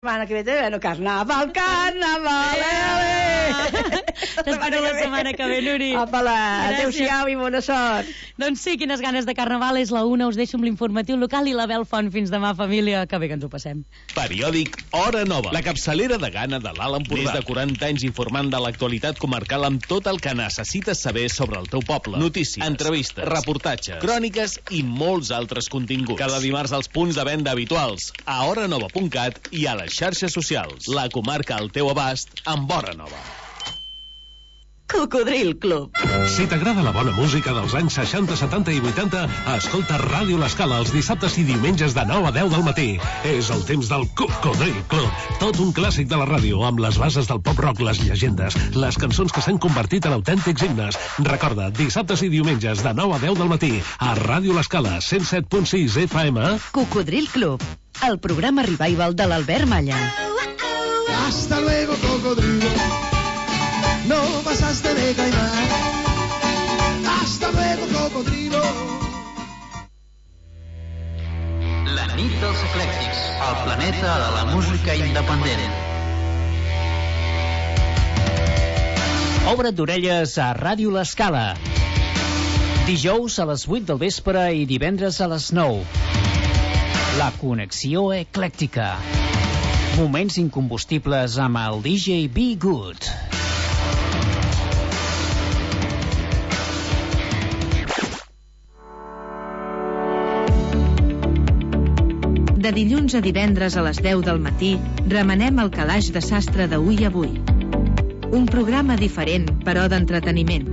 Setmana que ve també, bueno, carnaval, T'espero la setmana que ve, Nuri. Apala, adéu-siau i bona sort. Doncs sí, quines ganes de carnaval. És la 1, us deixo amb l'informatiu local i la Bel Font. Fins demà, família, que bé que ens ho passem. Periòdic Hora Nova, la capçalera de gana de l'Alt Empordà. Més de 40 anys informant de l'actualitat comarcal amb tot el que necessites saber sobre el teu poble. Notícies, entrevistes, reportatges, cròniques i molts altres continguts. Cada dimarts als punts de venda habituals, a horanova.cat i a les xarxes socials. La comarca al teu abast amb Hora Nova. Cocodril Club. Si t'agrada la bona música dels anys 60, 70 i 80, escolta Ràdio L'Escala els dissabtes i diumenges de 9 a 10 del matí. És el temps del Cocodril Club. Tot un clàssic de la ràdio, amb les bases del pop-rock, les llegendes, les cançons que s'han convertit en autèntics himnes. Recorda, dissabtes i diumenges de 9 a 10 del matí, a Ràdio L'Escala, 107.6 FM. Cocodril Club, el programa revival de l'Albert Malla. Hasta luego, cocodrilo. No pasaste de caimán. Hasta luego, cocodrilo. La nit dels eclèctics, el planeta de la música independent. Obre't d'orelles a Ràdio L'Escala. Dijous a les 8 del vespre i divendres a les 9. La connexió eclèctica. Moments incombustibles amb el DJ Be Good. De dilluns a divendres a les 10 del matí, remenem el calaix de sastre d'Avui Avui. Un programa diferent, però d'entreteniment.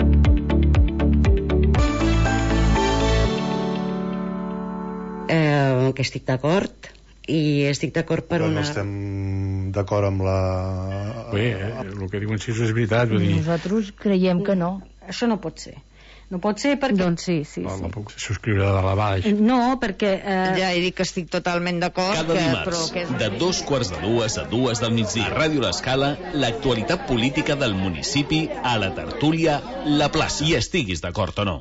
Que estic d'acord, i estic d'acord per una... No estem d'acord amb la... Bé, el que diuen si és veritat, vull dir... Nosaltres creiem que no. Això no pot ser. No pot ser perquè... Doncs sí. No puc subscriure de la baix. No, perquè... Ja he dit que estic totalment d'acord. Cada dimarts, de 2:45 a 2 del migdia, a Ràdio L'Escala, l'actualitat política del municipi a la tertúlia La Plaça. I estiguis d'acord o no.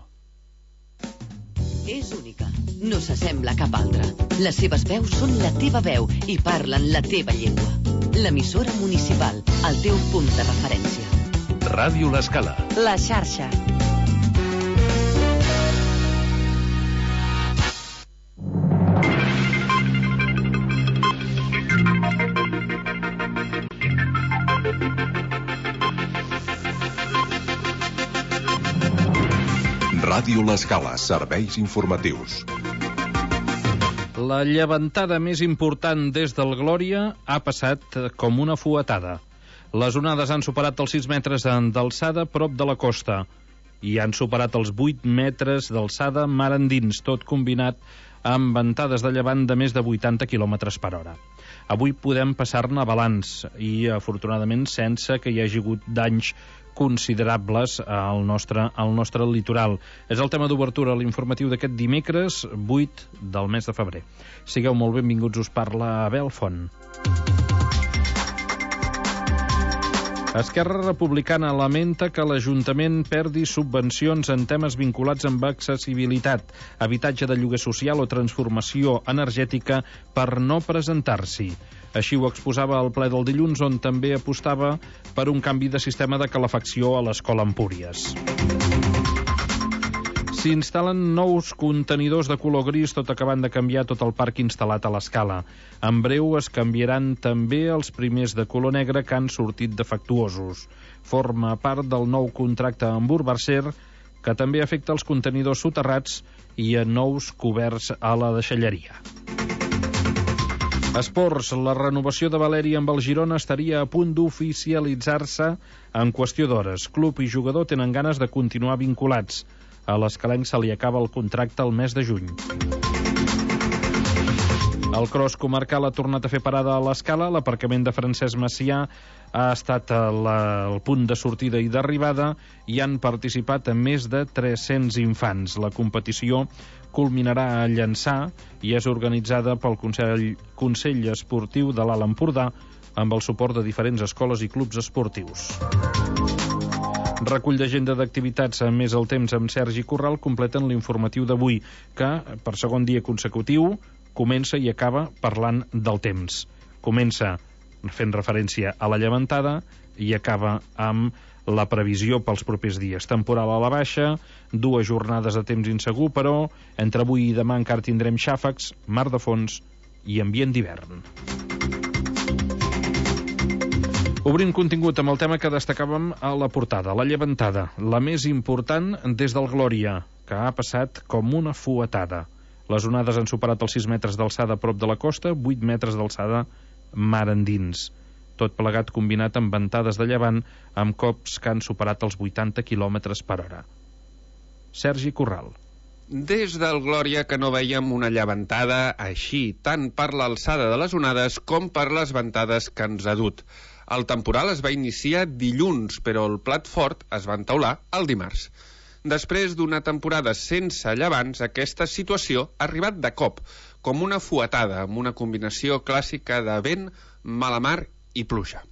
És única, no s'assembla a cap altra. Les seves veus són la teva veu i parlen la teva llengua. L'emissora municipal, el teu punt de referència. Ràdio L'Escala. La xarxa. Ràdio L'Escala, serveis informatius. La llevantada més important des del Glòria ha passat com una fuetada. Les onades han superat els 6 metres d'alçada prop de la costa i han superat els 8 metres d'alçada mar endins, tot combinat amb ventades de llevant de més de 80 km per hora. Avui podem passar-ne balanç i, afortunadament, sense que hi hagi hagut danys considerables al nostre litoral. És el tema d'obertura a l'informatiu d'aquest dimecres 8 del mes de febrer. Sigueu molt benvinguts, us parla Abel Font. Esquerra Republicana lamenta que l'Ajuntament perdi subvencions en temes vinculats amb accessibilitat, habitatge de lloguer social o transformació energètica per no presentar-s'hi. Així ho exposava al ple del dilluns, on també apostava per un canvi de sistema de calefacció a l'Escola Empúries. S'instal·len nous contenidors de color gris, tot acabant de canviar tot el parc instal·lat a l'Escala. En breu es canviaran també els primers de color negre que han sortit defectuosos. Forma part del nou contracte amb Urbacer, que també afecta els contenidors soterrats i a nous coberts a la deixalleria. Esports, la renovació de Valeri amb el Girona estaria a punt d'oficialitzar-se en qüestió d'hores. Club i jugador tenen ganes de continuar vinculats. A l'Escalenc se li acaba el contracte el mes de juny. El cross comarcal ha tornat a fer parada a l'Escala. L'aparcament de Francesc Macià ha estat el punt de sortida i d'arribada i han participat més de 300 infants. La competició culminarà a Llançà i és organitzada pel Consell Esportiu de l'Alt Empordà amb el suport de diferents escoles i clubs esportius. Recull d'agenda d'activitats més el temps amb Sergi Corral completen l'informatiu d'avui, que per segon dia consecutiu comença i acaba parlant del temps. Comença fent referència a la llevantada, i acaba amb la previsió pels propers dies. Temporal a la baixa, 2 jornades de temps insegur, però entre avui i demà encara tindrem xàfecs, mar de fons i ambient d'hivern. Obrim contingut amb el tema que destacàvem a la portada, la llevantada, la més important des del Glòria, que ha passat com una fuetada. Les onades han superat els 6 metres d'alçada a prop de la costa, 8 metres d'alçada mar endins. Tot plegat combinat amb ventades de llevant amb cops que han superat els 80 km per hora. Sergi Corral. Des del Glòria que no vèiem una llevantada així, tant per l'alçada de les onades com per les ventades que ens ha dut. El temporal es va iniciar dilluns, però el plat fort es va entaular el dimarts. Després d'una temporada sense llevants, aquesta situació ha arribat de cop, com una fuetada, amb una combinació clàssica de vent, mala mar i pluja.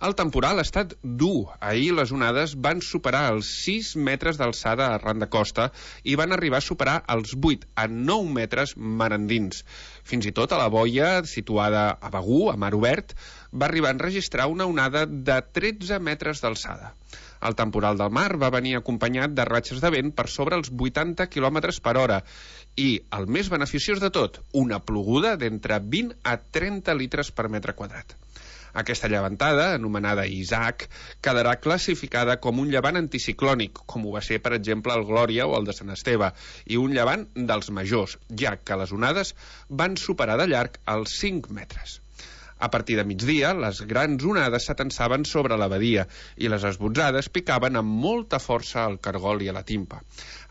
El temporal ha estat dur. Ahir les onades van superar els 6 metres d'alçada arran de costa i van arribar a superar els 8 a 9 metres mar endins. Fins i tot a la boia, situada a Begur, a mar obert, va arribar a enregistrar una onada de 13 metres d'alçada. El temporal del mar va venir acompanyat de ratxes de vent per sobre els 80 km per hora i, el més beneficiós de tot, una ploguda d'entre 20 a 30 litres per metre quadrat. Aquesta llevantada, anomenada Isaac, quedarà classificada com un llevant anticiclònic, com ho va ser, per exemple, el Glòria o el de Sant Esteve, i un llevant dels majors, ja que les onades van superar de llarg els 5 metres. A partir de migdia, les grans onades s'atansaven sobre la badia i les esbotzades picaven amb molta força al cargol i a la timpa.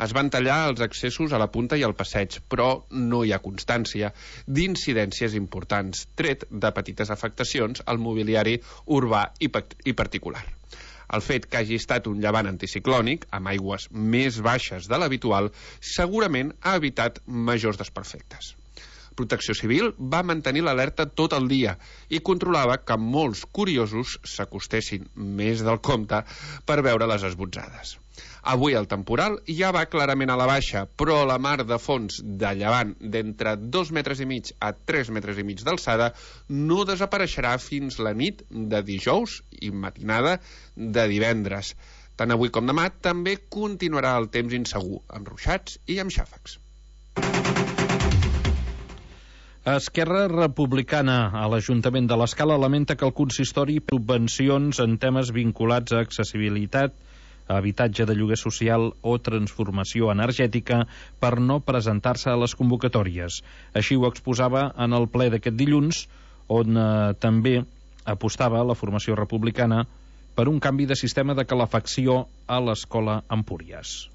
Es van tallar els accessos a la punta i al passeig, però no hi ha constància d'incidències importants, tret de petites afectacions al mobiliari urbà i particular. El fet que hagi estat un llevant anticiclònic, amb aigües més baixes de l'habitual, segurament ha evitat majors desperfectes. Protecció Civil va mantenir l'alerta tot el dia i controlava que molts curiosos s'acostessin més del compte per veure les esbotzades. Avui el temporal ja va clarament a la baixa, però la mar de fons de llevant d'entre 2,5 metres a 3,5 metres d'alçada no desapareixerà fins la nit de dijous i matinada de divendres. Tant avui com demà també continuarà el temps insegur, amb ruixats i amb xàfecs. Esquerra Republicana a l'Ajuntament de l'Escala lamenta que el consistori subvencions en temes vinculats a accessibilitat, habitatge de lloguer social o transformació energètica per no presentar-se a les convocatòries. Així ho exposava en el ple d'aquest dilluns, on també apostava la formació republicana per un canvi de sistema de calefacció a l'Escola Empúries.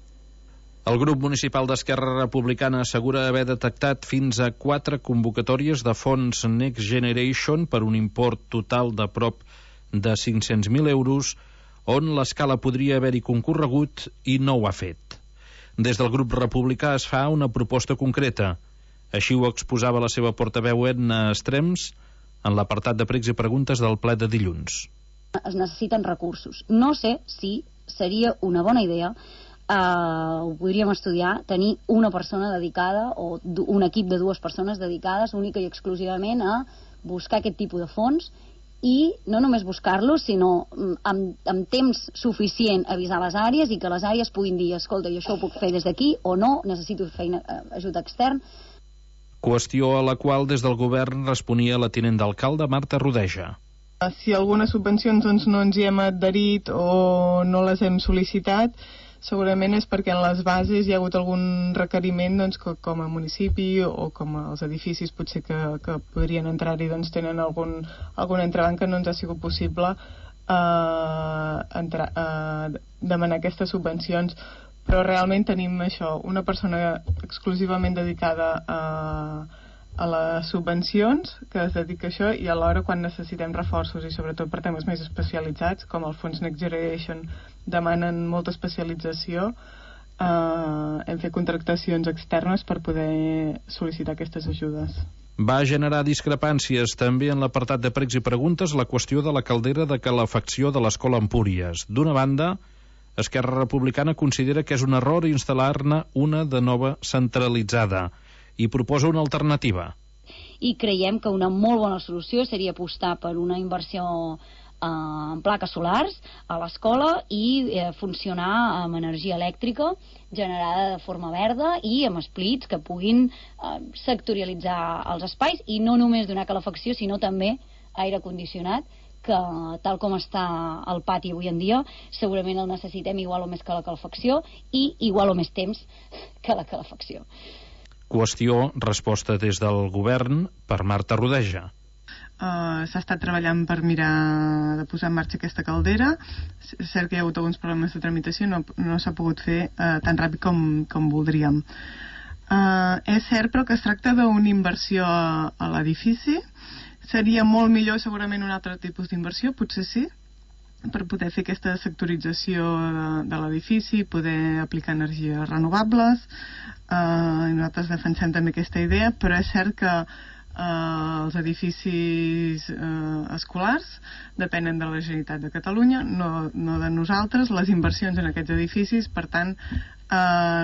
El grup municipal d'Esquerra Republicana assegura haver detectat fins a 4 convocatòries de fons Next Generation per un import total de prop de 500.000 euros, on l'Escala podria haver-hi concorregut i no ho ha fet. Des del grup republicà es fa una proposta concreta. Així ho exposava la seva portaveu Edna Estrems en l'apartat de pregs i preguntes del ple de dilluns. Es necessiten recursos. No sé si seria una bona idea, ho podríem estudiar, tenir una persona dedicada o un equip de 2 persones dedicades única i exclusivament a buscar aquest tipus de fons i no només buscar-los, sinó amb temps suficient avisar les àrees i que les àrees puguin dir, escolta, jo això ho puc fer des d'aquí o no, necessito ajut extern. Qüestió a la qual des del govern responia la tinent d'alcalde Marta Rodeja. Si algunes subvencions doncs, no ens hi hem adherit o no les hem sol·licitat, segurament és perquè en les bases hi ha hagut algun requeriment doncs, que com a municipi o com els edificis potser que podrien entrar-hi doncs, tenen algun entrebanc que no ens ha sigut possible demanar aquestes subvencions, però realment tenim això, una persona exclusivament dedicada a les subvencions que es dedica a això i alhora quan necessitem reforços i sobretot per temes més especialitzats com el fons Next Generation demanen molta especialització, hem fet contractacions externes per poder sol·licitar aquestes ajudes. Va generar discrepàncies també en l'apartat de pregs i preguntes la qüestió de la caldera de calefacció de l'Escola Empúries. D'una banda, Esquerra Republicana considera que és un error instal·lar-ne una de nova centralitzada i proposa una alternativa. i creiem que una molt bona solució seria apostar per una inversió en plaques solars a l'escola i funcionar amb energia elèctrica generada de forma verda i amb splits que puguin sectorialitzar els espais i no només donar calefacció sinó també aire condicionat, que tal com està el pati avui en dia segurament el necessitem igual o més que la calefacció i igual o més temps que la calefacció. Qüestió, resposta des del govern per Marta Rodeja. S'ha estat treballant per mirar de posar en marxa aquesta caldera. És cert que hi ha hagut alguns problemes de tramitació, no s'ha pogut fer tan ràpid com voldríem. És cert però que es tracta d'una inversió a l'edifici. Seria molt millor segurament un altre tipus d'inversió, potser sí, per poder fer aquesta sectorització de l'edifici, poder aplicar energies renovables. Nosaltres defensem també aquesta idea, però és cert que els edificis escolars depenen de la Generalitat de Catalunya, no de nosaltres, les inversions en aquests edificis, per tant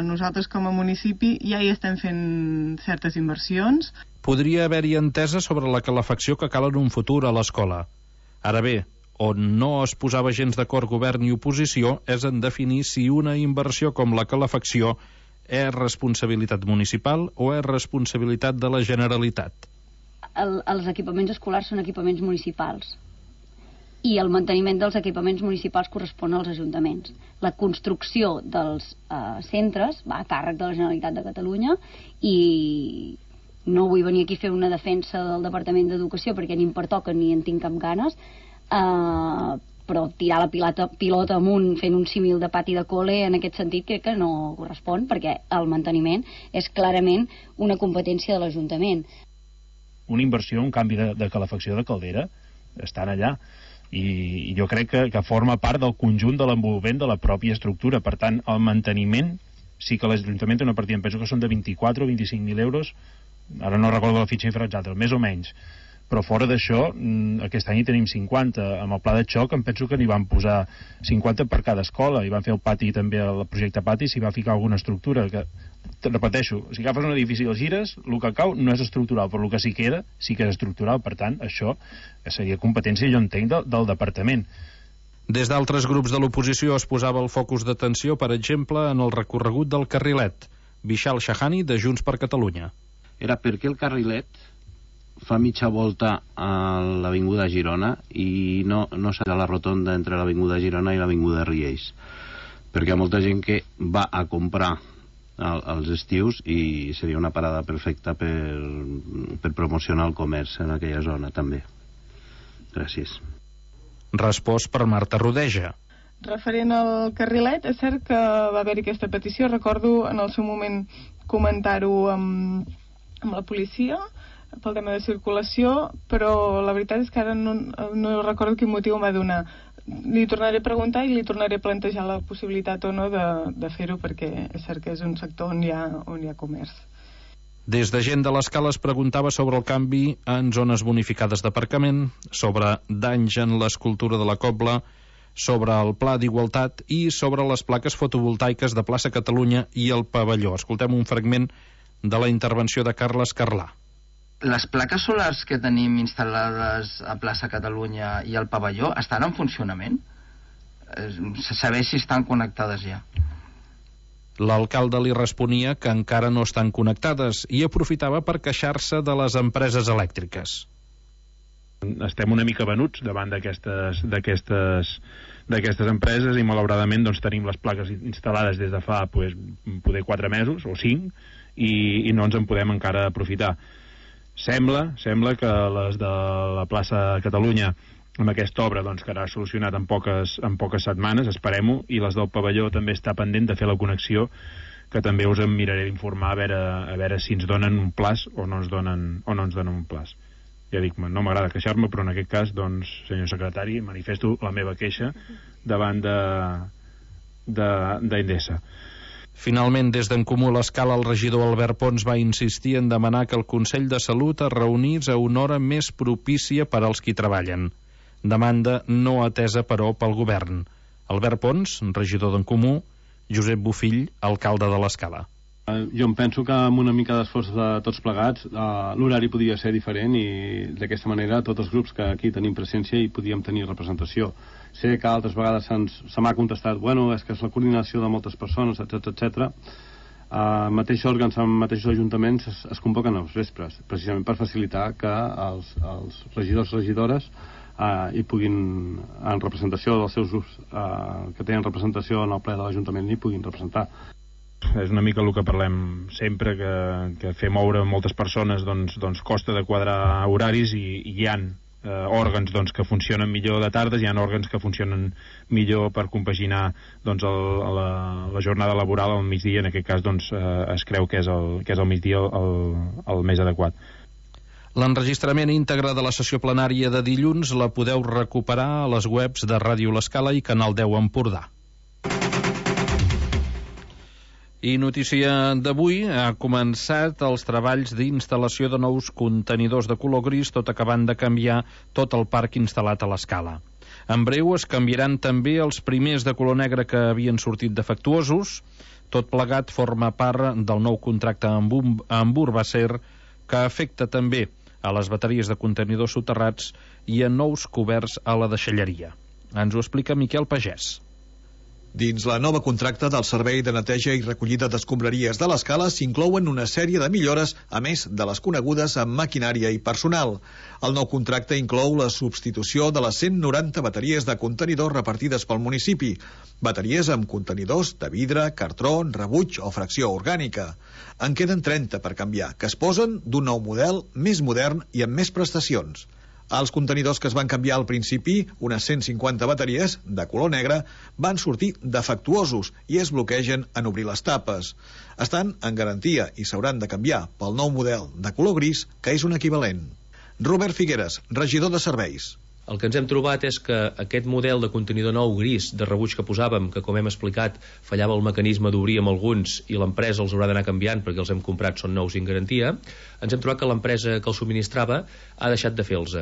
nosaltres com a municipi ja hi estem fent certes inversions. Podria haver-hi entesa sobre la calefacció que cal en un futur a l'escola. Ara bé, on no es posava gens d'acord govern i oposició és en definir si una inversió com la calefacció és responsabilitat municipal o és responsabilitat de la Generalitat. Els equipaments escolars són equipaments municipals i el manteniment dels equipaments municipals correspon als ajuntaments. La construcció dels centres va a càrrec de la Generalitat de Catalunya i no vull venir aquí a fer una defensa del Departament d'Educació perquè ni em pertoca ni en tinc cap ganes, però tirar la pilota amunt fent un símil de pati de cole en aquest sentit crec que no correspon perquè el manteniment és clarament una competència de l'Ajuntament. Una inversió, un canvi de calefacció de caldera estan allà i jo crec que forma part del conjunt de l'envolvament de la pròpia estructura. Per tant, el manteniment sí que l'Ajuntament té una partida, em penso que són de 24 o 25.000 euros, ara no recordo la fitxa exacta, més o menys, però fora d'això aquest any hi tenim 50. Amb el pla de xoc em penso que n'hi van posar 50 per cada escola i van fer el pati també, el projecte pati, s'hi va ficar alguna estructura que, te repeteixo, si agafes un edifici i el gires, el que cau no és estructural, però el que sí queda sí que és estructural. Per tant, això seria competència, jo entenc, del departament. Des d'altres grups de l'oposició es posava el focus d'atenció, per exemple, en el recorregut del carrilet. Vishal Shahani, de Junts per Catalunya. Era perquè el carrilet fa mitja volta a l'avinguda Girona i no serà la rotonda entre l'avinguda Girona i l'avinguda Riells, perquè hi ha molta gent que va a comprar als estius i seria una parada perfecta per promocionar el comerç en aquella zona també. Gràcies. Respost per Marta Rodeja. Referent al carrilet, és cert que va haver-hi aquesta petició, recordo en el seu moment comentar-ho amb la policia pel tema de circulació, però la veritat és que ara no recordo quin motiu em va donar. Li tornaré a preguntar i li tornaré a plantejar la possibilitat o no de fer-ho, perquè és cert que és un sector on hi ha comerç. Des de gent de l'Escala es preguntava sobre el canvi en zones bonificades d'aparcament, sobre danys en l'escultura de la Cobla, sobre el pla d'igualtat i sobre les plaques fotovoltaiques de Plaça Catalunya i el pavelló. Escoltem un fragment de la intervenció de Carles Carlà. Les plaques solars que tenim instal·lades a Plaça Catalunya i al pavelló estan en funcionament? Se sabeix si estan connectades ja. L'alcalde li responia que encara no estan connectades i aprofitava per queixar-se de les empreses elèctriques. Estem una mica venuts davant d'aquestes empreses i malauradament doncs, tenim les plaques instal·lades des de fa poder 4 mesos o 5 i no ens en podem encara aprofitar. Sembla que les de la plaça Catalunya amb aquesta obra doncs, quedarà solucionat en poques setmanes, esperem-ho, i les del pavelló també està pendent de fer la connexió, que també us en miraré d'informar a veure si ens donen un plaç o no ens donen un plaç. Ja dic, no m'agrada queixar-me, però en aquest cas, doncs, senyor secretari, manifesto la meva queixa davant d'Endesa. Finalment, des d'en Comú l'Escala, el regidor Albert Pons va insistir en demanar que el Consell de Salut es reunís a una hora més propícia per als qui treballen. Demanda no atesa, però, pel govern. Albert Pons, regidor d'en Comú, Josep Bofill, alcalde de l'Escala. Jo em penso que amb una mica d'esforç de tots plegats l'horari podria ser diferent i d'aquesta manera tots els grups que aquí tenim presència hi podíem tenir representació. Sé que altres vegades se m'ha contestat bueno, és que és la coordinació de moltes persones, etc. Mateixos òrgans amb mateixos ajuntaments es convoquen als vespres, precisament per facilitar que els regidors i regidores hi puguin, en representació dels seus grups que tenen representació en el ple de l'Ajuntament, hi puguin representar. És una mica el que parlem sempre, que fer moure moltes persones doncs costa de quadrar horaris i hi ha òrgans que funcionen millor de tardes, hi ha òrgans que funcionen millor per compaginar la jornada laboral al migdia. En aquest cas es creu que és el migdia el més adequat. L'enregistrament íntegre de la sessió plenària de dilluns la podeu recuperar a les webs de Ràdio L'Escala i Canal 10 Empordà. I notícia d'avui, ha començat els treballs d'instal·lació de nous contenidors de color gris, tot acabant de canviar tot el parc instal·lat a l'Escala. En breu es canviaran també els primers de color negre que havien sortit defectuosos. Tot plegat forma part del nou contracte amb Urbacer, que afecta també a les bateries de contenidors soterrats i a nous coberts a la deixalleria. Ens ho explica Miquel Pagès. Dins la nova contracta del Servei de Neteja i Recollida d'Escombraries de l'Escala s'inclouen una sèrie de millores, a més de les conegudes amb maquinària i personal. El nou contracte inclou la substitució de les 190 bateries de contenidors repartides pel municipi. Bateries amb contenidors de vidre, cartró, rebuig o fracció orgànica. En queden 30 per canviar, que es posen d'un nou model més modern i amb més prestacions. Els contenidors que es van canviar al principi, unes 150 bateries de color negre, van sortir defectuosos i es bloquegen en obrir les tapes. Estan en garantia i s'hauran de canviar pel nou model de color gris, que és un equivalent. Robert Figueres, regidor de Serveis. El que ens hem trobat és que aquest model de contenidor nou gris de rebuig que posàvem, que com hem explicat fallava el mecanisme d'obrir amb alguns i l'empresa els haurà d'anar canviant perquè els hem comprat, són nous i en garantia, ens hem trobat que l'empresa que els subministrava ha deixat de fer-los.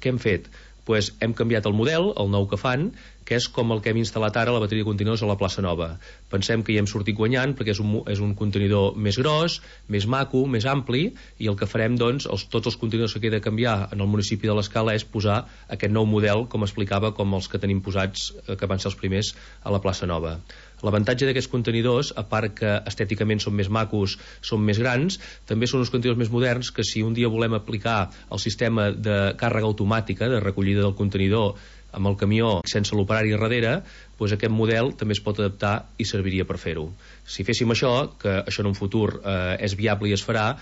Què hem fet? Pues hem canviat el model, el nou que fan, que és com el que hem instal·lat ara a la bateria de contenidors a la plaça Nova. Pensem que hi hem sortit guanyant perquè és un contenidor més gros, més maco, més ampli, i el que farem, doncs, tots els contenidors que queda a canviar en el municipi de l'Escala és posar aquest nou model, com explicava, com els que tenim posats, que van ser els primers a la plaça Nova. L'avantatge d'aquests contenidors, a part que estèticament són més macos, són més grans, també són uns contenidors més moderns que si un dia volem aplicar el sistema de càrrega automàtica, de recollida del contenidor amb el camió sense l'operari darrere, doncs aquest model també es pot adaptar i serviria per fer-ho. Si féssim això, que això en un futur és viable i es farà,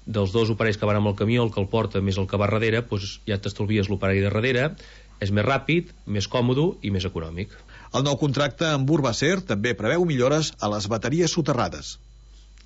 dels dos operaris que van amb el camió, el que el porta més el que va darrere, doncs ja t'estalvies l'operari darrere, és més ràpid, més còmode i més econòmic. El nou contracte amb Urbacer també preveu millores a les bateries soterrades.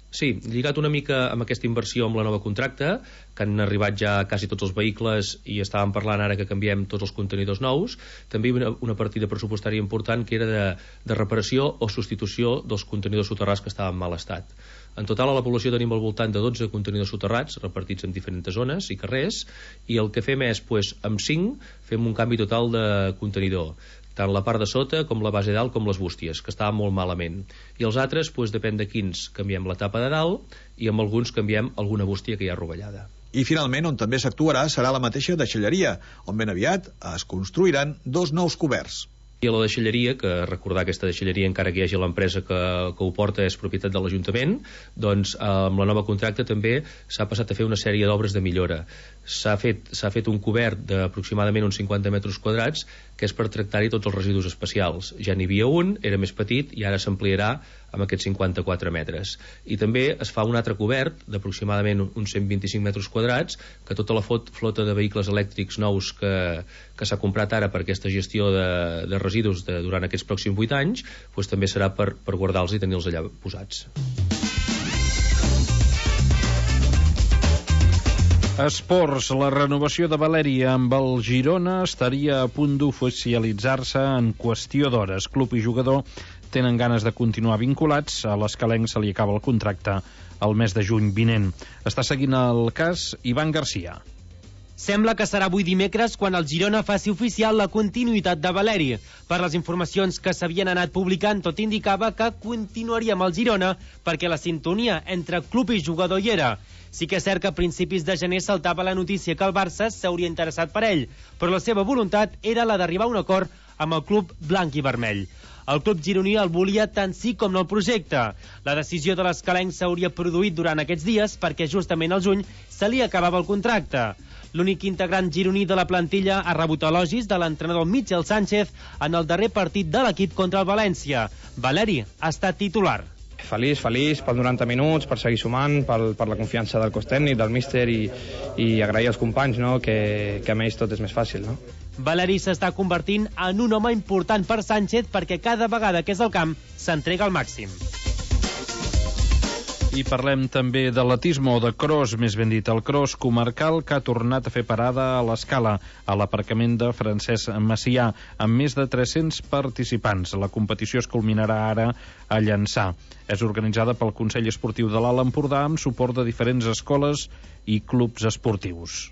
Sí, lligat una mica amb aquesta inversió amb la nova contracte, que han arribat ja quasi tots els vehicles i estàvem parlant ara que canviem tots els contenidors nous, també una partida pressupostària important que era de reparació o substitució dels contenidors soterrats que estaven en mal estat. En total a la població tenim al voltant de 12 contenidors soterrats repartits en diferents zones i carrers, i el que fem és, amb 5 fem un canvi total de contenidor, tant la part de sota com la base dalt com les bústies, que estaven molt malament. I els altres, depèn de quins, canviem la tapa de dalt i amb alguns canviem alguna bústia que hi ha rovellada. I finalment, on també s'actuarà serà la mateixa deixalleria, on ben aviat es construiran 2 nous coberts. I a la deixalleria, que recordar aquesta deixalleria, encara que hi hagi l'empresa que ho porta, és propietat de l'Ajuntament, doncs amb la nova contracte també s'ha passat a fer una sèrie d'obres de millora. S'ha fet un cobert d'aproximadament uns 50 metres quadrats, que és per tractar-hi tots els residus especials. Ja n'hi havia un, era més petit, i ara s'ampliarà amb aquests 54 metres. I també es fa un altre cobert d'aproximadament uns 125 metres quadrats, que tota la flota de vehicles elèctrics nous que s'ha comprat ara per aquesta gestió de residus durant aquests pròxims 8 anys, doncs també serà per guardar-los i tenir-los allà posats. Esports, la renovació de Valèria amb el Girona estaria a punt d'oficialitzar-se en qüestió d'hores. Club i jugador tenen ganes de continuar vinculats. A l'Escalenc se li acaba el contracte el mes de juny vinent. Està seguint el cas Ivan Garcia. Sembla que serà avui dimecres quan el Girona faci oficial la continuïtat de Valeri. Per les informacions que s'havien anat publicant, tot indicava que continuaria amb el Girona perquè la sintonia entre club i jugador hi era. Sí que és cert que a principis de gener saltava la notícia que el Barça s'hauria interessat per ell, però la seva voluntat era la d'arribar a un acord amb el club blanc i vermell. El club gironí el volia tant sí com no el projecte. La decisió de l'escalenc s'hauria produït durant aquests dies perquè justament al juny se li acabava el contracte. L'únic integrant gironí de la plantilla ha rebut elogis de l'entrenador Michel Sánchez en el darrer partit de l'equip contra el València. Valeri ha estat titular. Feliç per 90 minuts, per seguir sumant, per la confiança del cos tècnic, del míster i agrair als companys, no? que amb ells tot és més fàcil. No? Valeri s'està convertint en un home important per Sánchez perquè cada vegada que és al camp s'entrega al màxim. I parlem també d'atletisme, o de cross, més ben dit, el cross comarcal que ha tornat a fer parada a l'Escala, a l'aparcament de Francesc Macià, amb més de 300 participants. La competició es culminarà ara a Llançà. És organitzada pel Consell Esportiu de l'Alt Empordà amb suport de diferents escoles i clubs esportius.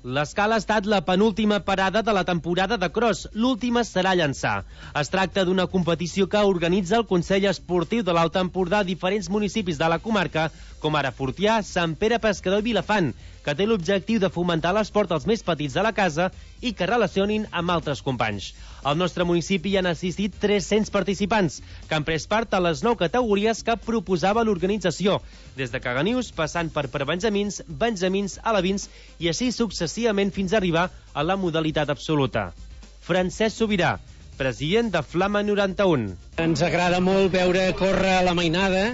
L'Escala ha estat la penúltima parada de la temporada de cross. L'última serà a Llançà. Es tracta d'una competició que organitza el Consell Esportiu de l'Alt Empordà a diferents municipis de la comarca, com ara Fortià, Sant Pere Pescador i Vilafant, que té l'objectiu de fomentar l'esport als més petits de la casa i que relacionin amb altres companys. Al nostre municipi hi han assistit 300 participants, que han pres part a les 9 categories que proposava l'organització, des de caganius, passant per prebenjamins, benjamins, alevins i així successivament fins a arribar a la modalitat absoluta. Francesc Sobirà, president de Flama 91. Ens agrada molt veure córrer la mainada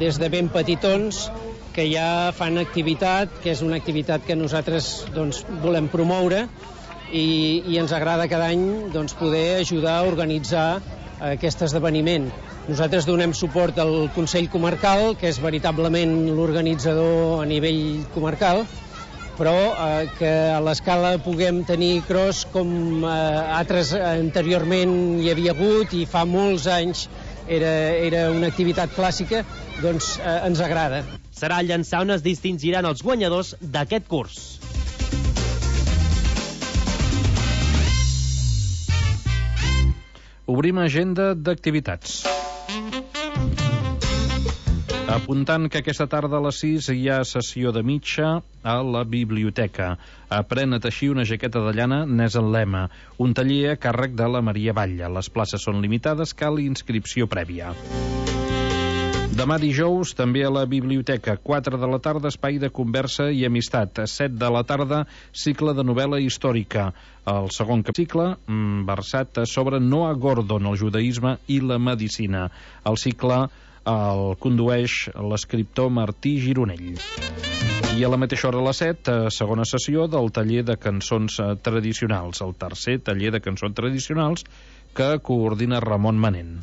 des de ben petitons, que ja fan activitat, que és una activitat que nosaltres volem promoure i ens agrada cada any poder ajudar a organitzar aquest esdeveniment. Nosaltres donem suport al Consell Comarcal, que és veritablement l'organitzador a nivell comarcal, però que a l'Escala puguem tenir cross com altres anteriorment hi havia hagut i fa molts anys era una activitat clàssica, doncs ens agrada. Serà a Llançà on es distingiran els guanyadors d'aquest curs. Obrim agenda d'activitats. Apuntant que aquesta tarda a les 6 hi ha sessió de mitja a la biblioteca. Aprèn a teixir una jaqueta de llana n'és el lema. Un taller a càrrec de la Maria Batlle. Les places són limitades, cal inscripció prèvia. Demà dijous, també a la biblioteca, 4 de la tarda, espai de conversa i amistat. 7 de la tarda, cicle de novel·la històrica. El segon cicle, versat sobre Noah Gordon, el judaïsme i la medicina. El cicle el condueix l'escriptor Martí Gironell. I a la mateixa hora a les 7, segona sessió del taller de cançons tradicionals, el tercer taller de cançons tradicionals que coordina Ramon Manent.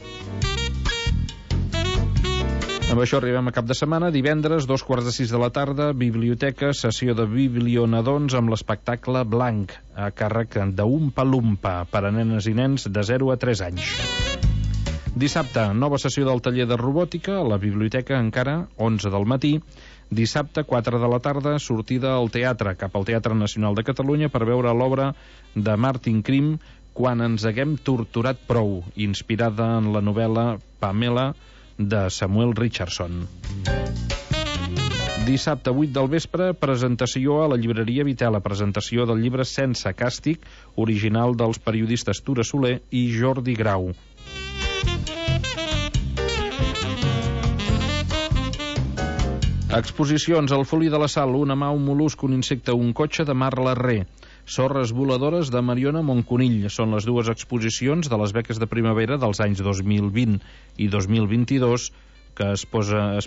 Amb això arribem a cap de setmana. Divendres, 2:45 de la tarda, biblioteca, sessió de biblionadons amb l'espectacle Blanc, a càrrec d'Umpa Lumpa, per a nenes i nens de 0 a 3 anys. Dissabte, nova sessió del taller de robòtica a la biblioteca, encara 11 del matí. Dissabte, 4 de la tarda, sortida al teatre, cap al Teatre Nacional de Catalunya per veure l'obra de Martin Krim, Quan ens haguem torturat prou, inspirada en la novel·la Pamela de Samuel Richardson. Dissabte, 8 del vespre, presentació a la llibreria Vitela, presentació del llibre Sense càstig, original dels periodistes Tura Soler i Jordi Grau. Exposicions: al Folí de la Sal, una mà, un mol·lusc, un insecte, un cotxe, de Mar Larré. Sorres voladores, de Mariona Monconill. Són les dues exposicions de les beques de primavera dels anys 2020 i 2022 que es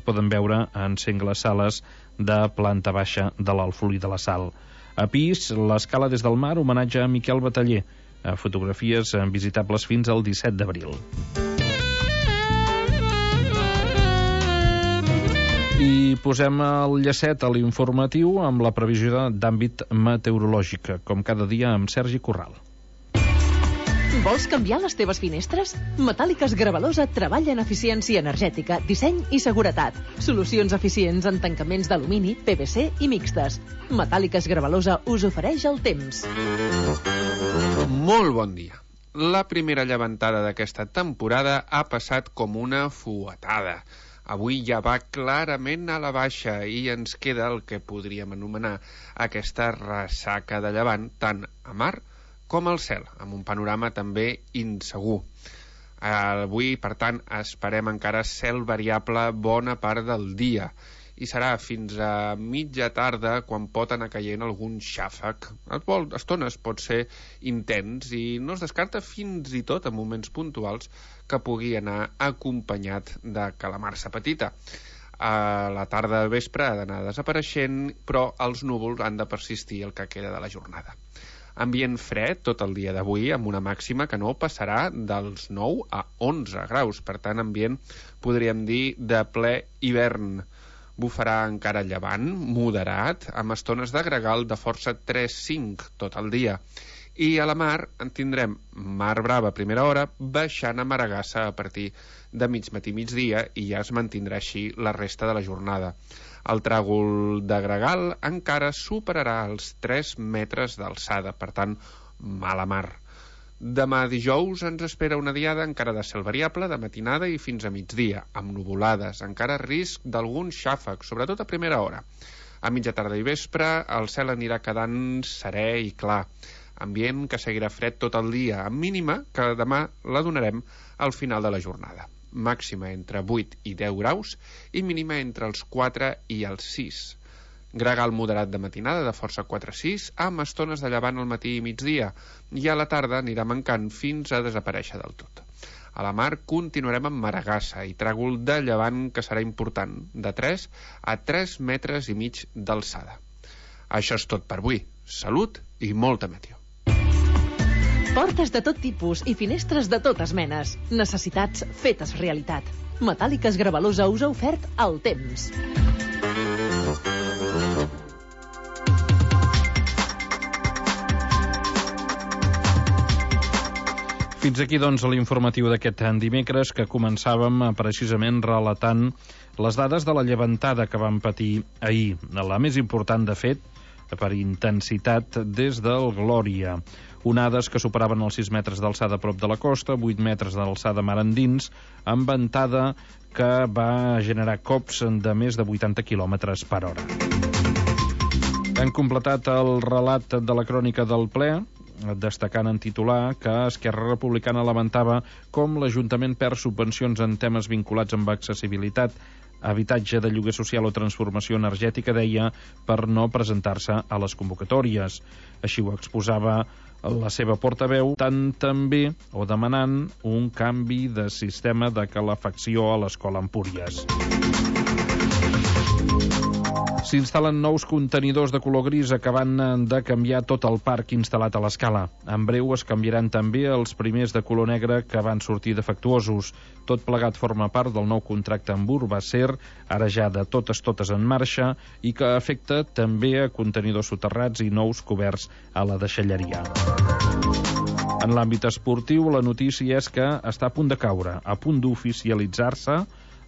poden veure en sengles sales de planta baixa de l'Alfolí de la Sal. A pis, l'Escala des del mar, homenatge a Miquel Bataller. Fotografies visitables fins al 17 d'abril. I posem el llacet a l'informatiu amb la previsió d'àmbit meteorològic, com cada dia amb Sergi Corral. Vols canviar les teves finestres? Metàl·liques Gravalosa treballa en eficiència energètica, disseny i seguretat. Solucions eficients en tancaments d'alumini, PVC i mixtes. Metàl·liques Gravalosa us ofereix el temps. Molt bon dia. La primera llevantada d'aquesta temporada ha passat com una fuetada. Avui ja va clarament a la baixa i ens queda el que podríem anomenar aquesta ressaca de llevant tant a mar com al cel, amb un panorama també insegur. Avui, per tant, esperem encara cel variable bona part del dia i serà fins a mitja tarda quan pot anar caient algun xàfec. A estones pot ser intens i no es descarta fins i tot en moments puntuals que pugui anar acompanyat de calamarsa petita. A la tarda del vespre ha d'anar desapareixent, però els núvols han de persistir el que queda de la jornada. Ambient fred tot el dia d'avui, amb una màxima que no passarà dels 9 a 11 graus. Per tant, ambient, podríem dir, de ple hivern. Bufarà encara llevant, moderat, amb estones de gregal de força 3-5 tot el dia. I a la mar en tindrem mar brava a primera hora, baixant a Maragassa a partir de mig matí migdia i ja es mantindrà així la resta de la jornada. El tràgol de gregal encara superarà els 3 metres d'alçada, per tant, mala mar. Demà dijous ens espera una diada encara de cel variable, de matinada i fins a migdia, amb nuvolades, encara risc d'algun xàfec, sobretot a primera hora. A mitja tarda i vespre el cel anirà quedant serè i clar. Ambient que seguirà fred tot el dia, amb mínima que demà la donarem al final de la jornada. Màxima entre 8 i 10 graus i mínima entre els 4 i els 6. Gregal moderat de matinada de força 4-6 amb estones de llevant al matí i migdia i a la tarda anirà mancant fins a desaparèixer del tot. A la mar continuarem amb Maragassa i tràgol de llevant que serà important, de 3 a 3 metres i mig d'alçada. Això és tot per avui. Salut i molta meteo. Portes de tot tipus i finestres de totes menes. Necessitats fetes realitat. Metàl·liques Gravalosa us ha ofert el temps. Fins aquí, doncs, l'informatiu d'aquest dimecres que començàvem precisament relatant les dades de la llevantada que vam patir ahir. La més important, de fet, per intensitat des del Glòria. Onades que superaven els 6 metres d'alçada a prop de la costa, 8 metres d'alçada mar endins, amb ventada que va generar cops de més de 80 km per hora. Han completat el relat de la crònica del ple, destacant en titular que Esquerra Republicana lamentava com l'Ajuntament perd subvencions en temes vinculats amb accessibilitat, habitatge de lloguer social o transformació energètica, deia, per no presentar-se a les convocatòries. Així ho exposava la seva portaveu, tant també o demanant un canvi de sistema de calefacció a l'escola Empúries. S'instal·len nous contenidors de color gris acabant de canviar tot el parc instal·lat a l'escala. En breu es canviaran també els primers de color negre que van sortir defectuosos. Tot plegat forma part del nou contracte amb Urbacer, ara ja de totes en marxa, i que afecta també a contenidors soterrats i nous coberts a la deixalleria. En l'àmbit esportiu, la notícia és que està a punt de caure, a punt d'oficialitzar-se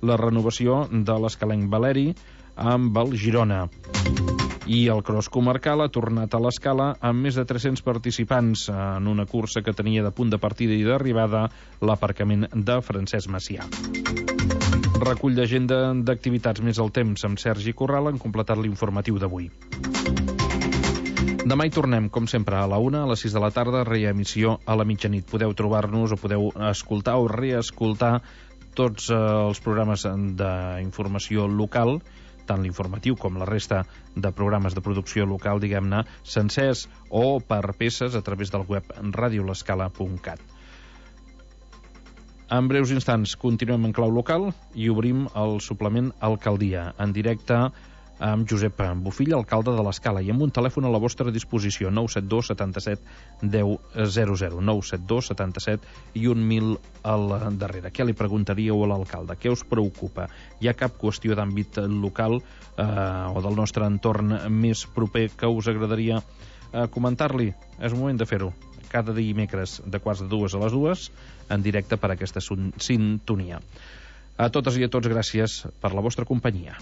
la renovació de l'escalenc Valeri amb el Girona. I el cross comarcal ha tornat a l'escala amb més de 300 participants en una cursa que tenia de punt de partida i d'arribada l'aparcament de Francesc Macià. Recull d'agenda d'activitats més al temps amb Sergi Corral han completat l'informatiu d'avui. Demà hi tornem, com sempre, a la 1, a les 6 de la tarda, reemissió a la mitjanit. Podeu trobar-nos o podeu escoltar o reescoltar tots els programes d'informació local, tant l'informatiu com la resta de programes de producció local, diguem-ne, sencers o per peces a través del web radiolescala.cat. En breus instants continuem en clau local i obrim el suplement Alcaldia, en directe amb Josep Bofill, alcalde de l'Escala, i amb un telèfon a la vostra disposició, 972 77 1000, 972 77 i 1000 al darrere. Què li preguntaríeu a l'alcalde? Què us preocupa? Hi ha cap qüestió d'àmbit local o del nostre entorn més proper que us agradaria comentar-li? És un moment de fer-ho. cada dimecres de 1:45 a les 2, en directe per aquesta sintonia. A totes i a tots, gràcies per la vostra companyia.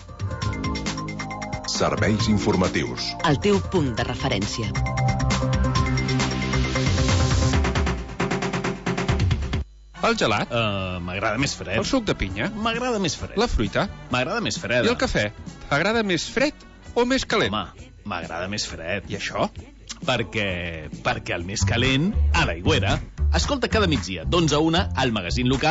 Serveis informatius. El teu punt de referència. El gelat? M'agrada més fred. El suc de pinya? M'agrada més fred. La fruita? M'agrada més freda. I el cafè? T'agrada més fred o més calent? Home, m'agrada més fred. I això? Perquè el més calent, a l'Aigüera. Escolta cada migdia, d'11 a 1, al magazín local